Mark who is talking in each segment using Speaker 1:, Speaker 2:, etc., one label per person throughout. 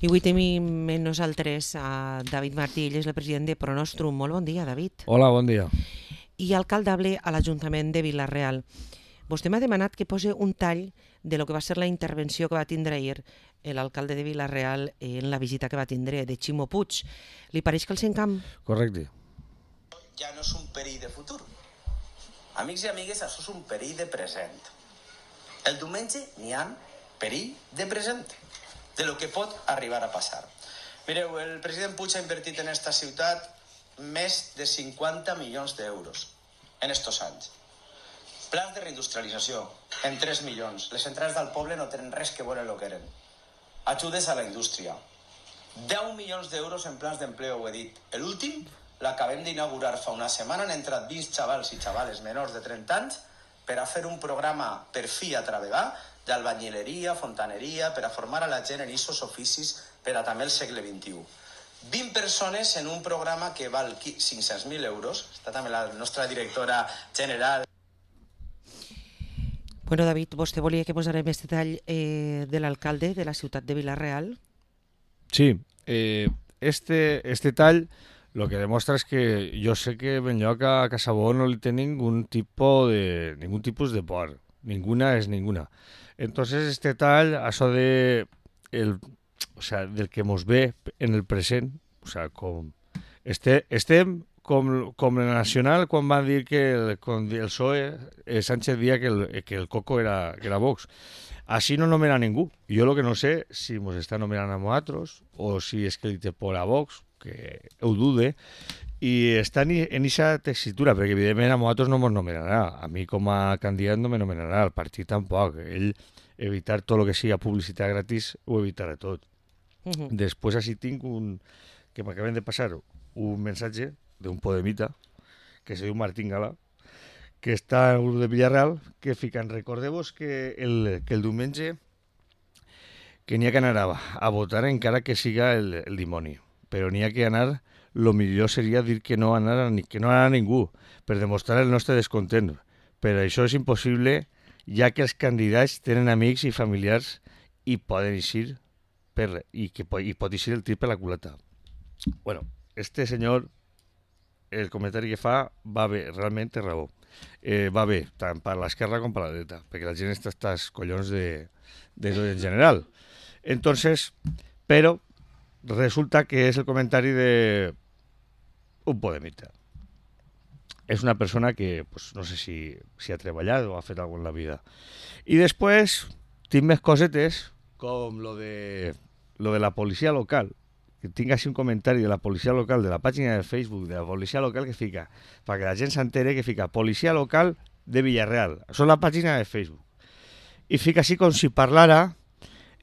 Speaker 1: I avui tenim amb nosaltres a David Martí, ell és el president de Pronostrum. Molt bon dia, David.
Speaker 2: Hola, bon dia.
Speaker 1: I alcaldable a l'Ajuntament de Vila-real. Vostè m'ha demanat que posi un tall de lo que va ser la intervenció que va tindre ahir l'alcalde de Vila-real en la visita que va tindre de Ximo Puig. Li pareix que el Sencamp?
Speaker 2: Correcte.
Speaker 3: Ja no és un perill de futur. Amics i amigues, això és un perill de present. El diumenge n'hi ha perill de present, de lo que pot arribar a passar. Mireu, el president Puig ha invertit en esta ciutat més de 50 milions d'euros en estos anys. Plans de reindustrialització, en 3 milions. Les entrades del poble no tenen res que veure amb el que eren. Ajudes a la indústria. 10 milions d'euros en plans d'empleo, ho he dit. L'últim l'acabem d'inaugurar fa una setmana, han entrat 20 xavals i xavales menors de 30 anys per a fer un programa per fi a treballar d'albañileria, fontaneria, per a formar a la gent en aquests oficis per a també el segle XXI. 20 persones en un programa que val 500.000 euros. Està també la nostra directora general.
Speaker 1: Bueno, David, vostè volia que posarem este tall de l'alcalde de la ciutat de Vila-real?
Speaker 2: Sí, este tall lo que demuestra es que yo sé que Benlloc a Casabó no le tiene ningún tipus de por. Ninguna es ninguna. Entonces este tall, eso de del que mos ve en el present, o sea, estem com la Nacional quan van dir que el PSOE, Sánchez dia que el Coco era Vox. Així no nomena ningú. Jo el que no sé si ens està nomenant a nosaltres o si és que li té por a Vox, que ho dude, i està en aquesta tessitura, perquè evidentment a nosaltres no ens nomenarà. A mi com a candidat no me nomenarà, al partit tampoc. Ell evitar tot el que sigui publicitat gratis ho evitarà tot. Després així tinc que m'acaben de passar un mensatge d'un podemita que se diu Martín Gala, que està en el grup de Villarreal, que fican, recordeu-vos que el diumenge que n'hi ha que anar a votar encara que siga el dimoni, però n'hi ha que anar, lo millor seria dir que no anar a ningú, per demostrar el nostre descontent. Però això és impossible, ja que els candidats tenen amics i familiars i poden eixir i pot eixir el tir per la culata. Bueno, este senyor, el comentari que fa va bé, realment té raó. Va bé, tant per l'esquerra com per la dreta, perquè la gent està als collons de tot en general. Entonces, però resulta que és el comentari de un podemita. És una persona que pues, no sé si ha treballat o ha fet alguna cosa en la vida. I després tinc més cosetes com lo de la policia local, que tinc així un comentari de la policia local, de la pàgina de Facebook de la policia local que fica, perquè la gent s'entere que fica policia local de Villarreal. Això és la pàgina de Facebook. I fica així com si parlara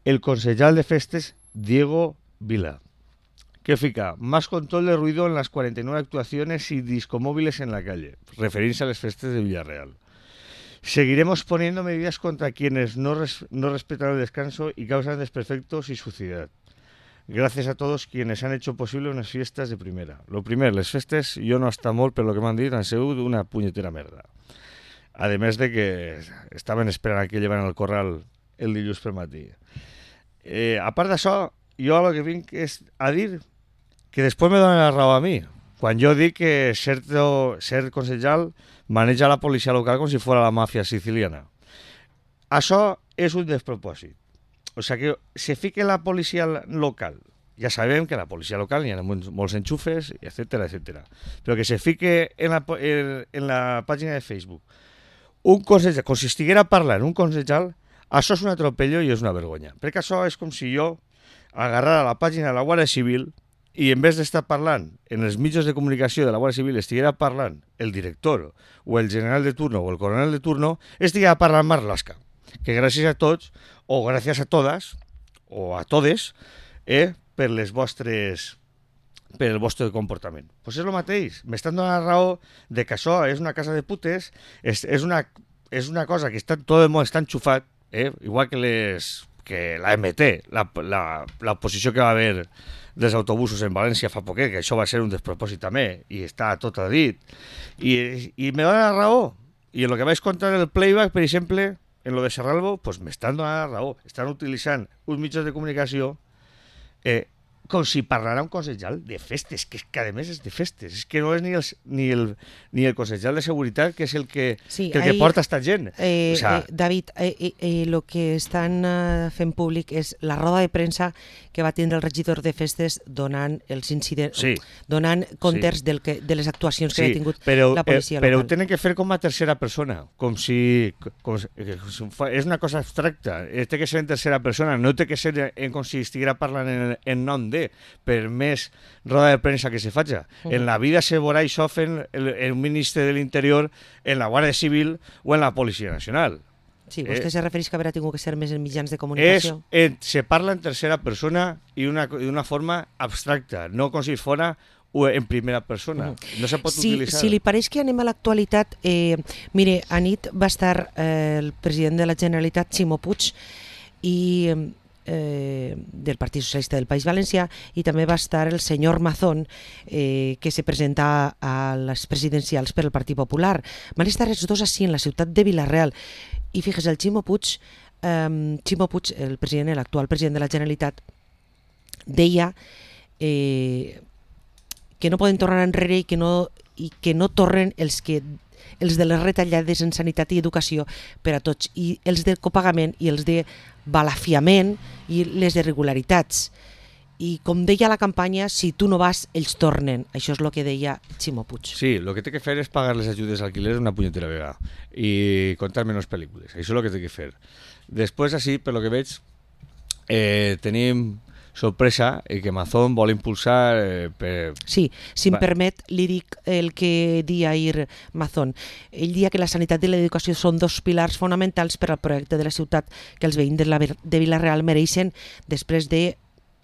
Speaker 2: el concejal de festes Diego Vila, que fica más control de ruido en las 49 actuaciones y discomóviles en la calle, referirse a las festas de Villarreal. Seguiremos poniendo medidas contra quienes no respetan el descanso y causan desperfectos y suciedad. Gracias a todos quienes han hecho posible unas fiestas de primera. Lo primer, les festes, jo no està molt per lo que m'han dit, han sigut una punyetera merda. A més de que estaven esperant que llevan el corral el dilluns per matí. A part d'això, jo el que vinc és a dir que després me donen la raó a mi. Quan jo dic que ser concejal maneja la policia local com si fos la màfia siciliana. Això és un despropòsit. O sigui que se fique la policia local. Ja sabem que a la policia local hi ha molts enxufes, etcètera, etcètera. Però que se fique en la pàgina de Facebook un concejal, com si estiguera parlant un concejal, això és un atropello i és una vergonya. Perquè això és com si jo agarrara la pàgina de la Guàrdia Civil i en vez d'estar parlant en els mitjans de comunicació de la Guàrdia Civil estiguera parlant el director o el general de turno o el coronel de turno, estiguera parlant Marlaska. Que gràcies a tots, o gràcies a totes, o a todes, per el vostre comportament. Pues és el mateix. M'estan donant la raó de que això és una casa de putes, és una cosa que tot el món està enxufat, igual que la MT, l'oposició que va haver dels autobusos en València fa poquet, que això va ser un despropòsit també, i està tot a dit. I me donen la raó. I en el que vaig contar el playback, per exemple, en lo de Serralbo, pues m'estan donant la raó. Estan utilitzant uns mitjans de comunicació com si parlara un consellal de festes, que és que a més és de festes, és que no és ni el consellal de seguretat, que és el que porta esta gent.
Speaker 1: David, lo que estan fent públic és la roda de premsa que va tindre el regidor de festes donant els incidents, donant comptes de les actuacions que ha tingut la policia local.
Speaker 2: Però ho tenen que fer com a tercera persona, com si és una cosa abstracta, té que ser en tercera persona, no té que ser com si estiguera parlant en nom de, per més roda de premsa que se faci. En la vida se veurà això fent el ministre de l'Interior, en la Guàrdia Civil o en la Policia Nacional.
Speaker 1: Sí, vostè se refereix que haurà tingut que ser més en mitjans de comunicació?
Speaker 2: Se parla en tercera persona i d'una forma abstracta, no com si fora en primera persona. No se pot utilitzar.
Speaker 1: Si li pareix que anem a l'actualitat, mire, anit va estar el president de la Generalitat, Ximo Puig, i del Partit Socialista del País Valencià, i també va estar el senyor Mazón, que se presenta a les presidencials per al Partit Popular. Van estar els dos així en la ciutat de Vila-real, i fíjese, el Ximo Puig, el president, l'actual president de la Generalitat, deia que no poden tornar enrere i que no tornen els de les retallades en sanitat i educació per a tots, i els del copagament i els de balafiament i les irregularitats. I com deia la campanya, si tu no vas, ells tornen. Això és el que deia Ximo Puig.
Speaker 2: Sí, el que té que fer és pagar les ajudes d'alquiler una punyetera vegada i contar menys pel·lícules. Això és el que té que fer. Després, així, per lo que veig, tenim sorpresa i que Mazón vol impulsar...
Speaker 1: Sí, si em permet, li dic el que dia ahir Mazón. Ell dia que la sanitat i l'educació són dos pilars fonamentals per al projecte de la ciutat que els veïns de Vila-real mereixen després de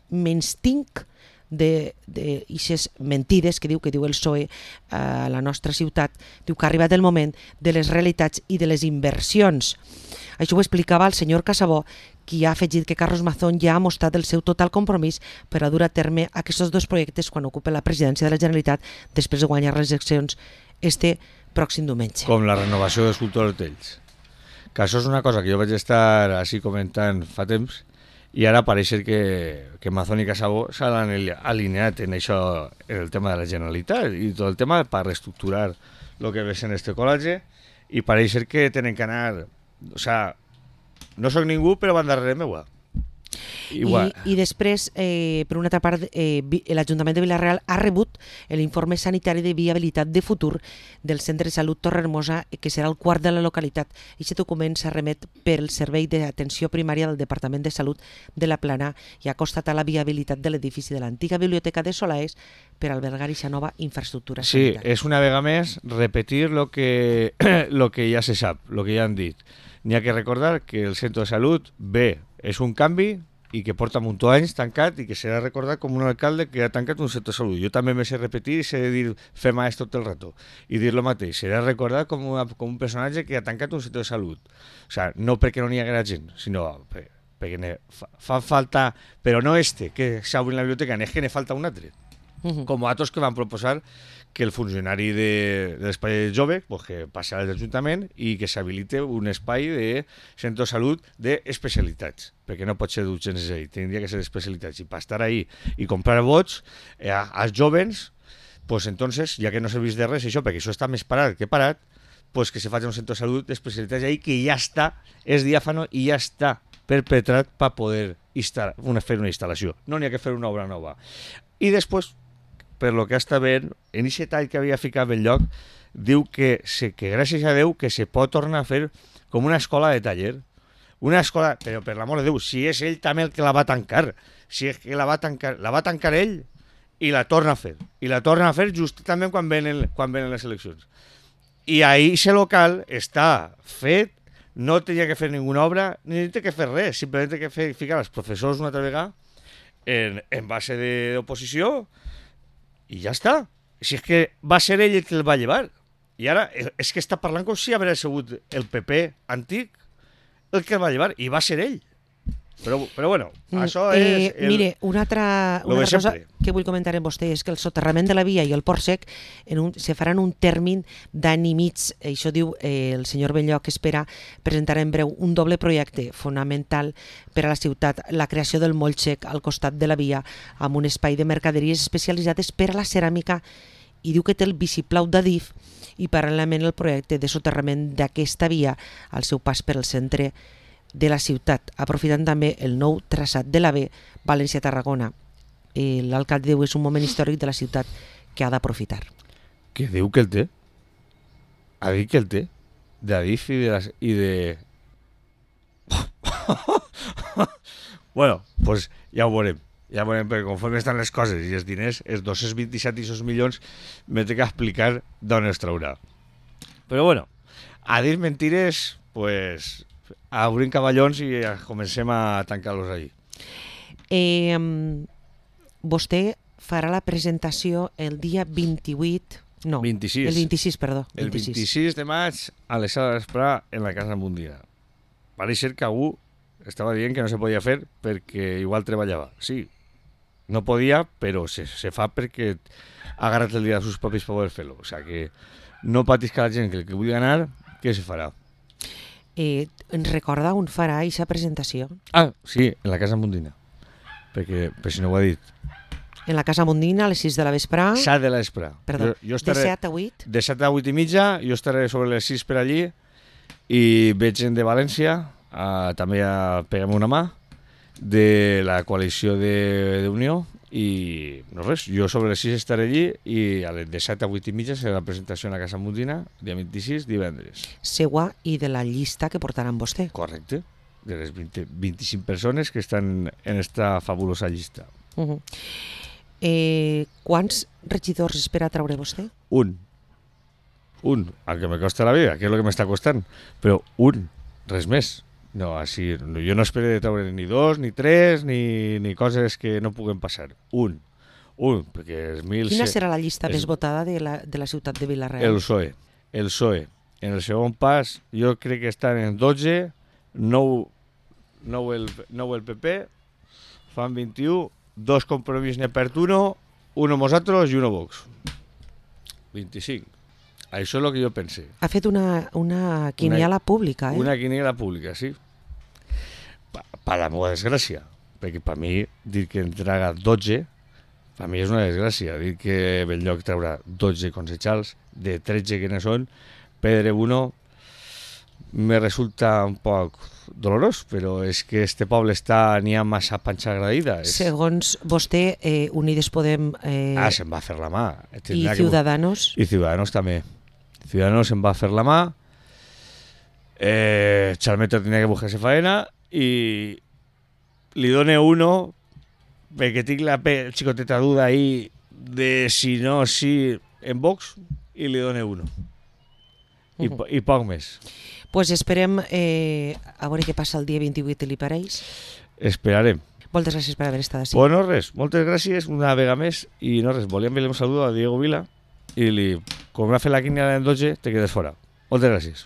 Speaker 1: menystinc d'ixes mentides que diu el PSOE a la nostra ciutat. Diu que ha arribat el moment de les realitats i de les inversions. Això ho explicava el senyor Casabó, qui ha afegit que Carlos Mazón ja ha mostrat el seu total compromís per a dur a terme aquests dos projectes quan ocupa la presidència de la Generalitat després de guanyar les eleccions este pròxim diumenge.
Speaker 2: Com la renovació dels cultors d'hotells. Que això és una cosa que jo vaig estar així comentant fa temps, i ara pareix que Mazón i Casabó s'han alineat en això, en el tema de la Generalitat i tot el tema per reestructurar el que ve sent este col·legi, i pareix que tenen que anar... O sea, no soc ningú, però van darrere meua.
Speaker 1: I després, per una altra part, l'Ajuntament de Vila-real ha rebut l'informe sanitari de viabilitat de futur del Centre de Salut Torrehermosa, que serà el quart de la localitat. Aquest document s'ha remet per el Servei d'Atenció Primària del Departament de Salut de la Plana i ha constatat la viabilitat de l'edifici de l'antiga biblioteca de Solaes per albergar aquesta nova infraestructura sanitària.
Speaker 2: Sí, és una vegada més repetir lo que ja se sap, lo que ja han dit. N'hi ha que recordar que el centre de salut, és un canvi i que porta un munt d'anys tancat i que serà recordat com un alcalde que ha tancat un centre de salut. Jo també me sé repetir i sé dir fer maestro tot el rato i dir lo mateix. Serà recordat com un personatge que ha tancat un centre de salut. O sea, no perquè no n'hi haguera gent, sinó perquè fa falta, però no que s'obri en la biblioteca, és que ne falta un altre. Com altres que van proposar que el funcionari de l'espai jove que passi a l'Ajuntament i que s'habilite un espai de centre de salut d'especialitats, perquè no pot ser d'urgències ahí, tindria que ser d'especialitats. I per estar ahí i comprar vots als jovens, pues entonces, ja que no serveix de res això, perquè això està més parat que parat, pues que se faci un centre de salut d'especialitats ahí que ja està, és diàfano i ja està perpetrat per poder fer una instal·lació. No n'hi ha que fer una obra nova. I després, per lo que està veient, en aquest tall que havia ficat en lloc, diu que gràcies a Déu que se pot tornar a fer com una escola de taller. Una escola, però per l'amor de Déu, si és ell també el que la va tancar, si és que la va tancar ell i la torna a fer. I la torna a fer just també quan venen les eleccions. I ahir aquest local està fet, no tenia que fer ninguna obra, ni té que fer res, simplement té que ficar els professors una altra vegada en base d'oposició, i ja està. Si és que va ser ell el que el va llevar. I ara és que està parlant com si hagués sigut el PP antic el que el va llevar. I va ser ell. Però bueno, això és...
Speaker 1: Mire, una altra cosa
Speaker 2: sempre.
Speaker 1: que vull comentar amb vostè és que el soterrament de la via i el port sec se faran un termini d'any i mig. Això diu el senyor Benlloc, que espera presentar en breu un doble projecte fonamental per a la ciutat, la creació del moll sec al costat de la via amb un espai de mercaderies especialitzades per a la ceràmica, i diu que té el vistiplau d'Adif, i paral·lelament el projecte de soterrament d'aquesta via al seu pas per al centre de la ciutat, aprofitant també el nou traçat de la B València-Tarragona. L'alcalde diu que és un moment històric de la ciutat que ha d'aprofitar.
Speaker 2: Que diu que el té? Ha dit que el té? D'Adif i de... Bueno, pues ja ho veurem. Ja ho veurem, perquè conforme estan les coses i els diners, els 227 i 6 milions, m'he de explicar d'on els traurà. Però bueno, a dir mentires, pues... obrim cavallons i comencem a tancar-los allí.
Speaker 1: Vostè farà la presentació el dia 28... No,
Speaker 2: 26.
Speaker 1: El 26, perdó.
Speaker 2: El 26 de maig a les 6 de vespre en la Casa Mundina. Pareix ser que algú estava dient que no se podia fer perquè igual treballava. Sí, no podia, però se fa perquè ha agarrat el dia dels seus propis per poder fer-lo. O sigui que no patisca la gent que el que vulgui anar, què se farà?
Speaker 1: Ens recorda on farà aquesta presentació?
Speaker 2: Ah, sí, en la Casa Mundina. Perquè, per si no ho he dit.
Speaker 1: En la Casa Mundina, a les 6 de la vespre.
Speaker 2: 7 de la vespre.
Speaker 1: Perdó,
Speaker 2: jo estaré,
Speaker 1: de 7 a 8?
Speaker 2: De 7 a 8 i mitja, jo estaré sobre les 6 per allí i veig gent de València, també a pegar-me una mà, de la coalició d'Unió, i no res, jo sobre les 6 estaré allí i de 7 a 8 i mitja serà la presentació a la Casa Mundina, dia 26, divendres.
Speaker 1: Seua i de la llista que portaran vostè.
Speaker 2: Correcte, de les 25 persones que estan en esta fabulosa llista.
Speaker 1: Quants regidors espera treure vostè?
Speaker 2: Un, al que me costa la vida, que és el que m'està costant, però un, res més. No, així, jo no espero de treure ni 2, ni 3, ni coses que no puguen passar. Un, perquè els 1.000...
Speaker 1: Quina serà la llista més votada de la ciutat de Vila-real?
Speaker 2: El PSOE. En el segon pas, jo crec que estan en 12, 9 el PP, fan 21, 2 Compromís n'hi ha per uno nosaltres i uno Vox. 25. Això és el que jo pense.
Speaker 1: Ha fet una quiniela pública,
Speaker 2: Una quiniela pública, sí. Per la meva desgràcia. Perquè per mi, dir que en traga 12, per mi és una desgràcia. Dir que Benlloc traurà 12 concejals, de 13 que ne són, perdre uno, me resulta un poc dolorós, però és que este poble n'hi ha massa panxa agradida.
Speaker 1: Segons vostè, Unides Podem...
Speaker 2: se'n va fer la mà.
Speaker 1: I Ciudadanos?
Speaker 2: I Ciudadanos també. Ciudadanos se'n va fer la mà, Chalmeta tenia que buscar-se faena i li done uno perquè tinc la xicoteta duda ahí de si no, si en Vox, i li done uno. I poc més.
Speaker 1: Pues esperem a veure què passa el dia 28, li pareix?
Speaker 2: Esperarem.
Speaker 1: Moltes gràcies per haver estat així.
Speaker 2: Bueno, res, moltes gràcies una vegada més i no res, volíem enviar un saludo a Diego Vila i com m'ha fet la quiniela en 12 te quedes fora. Moltes gràcies.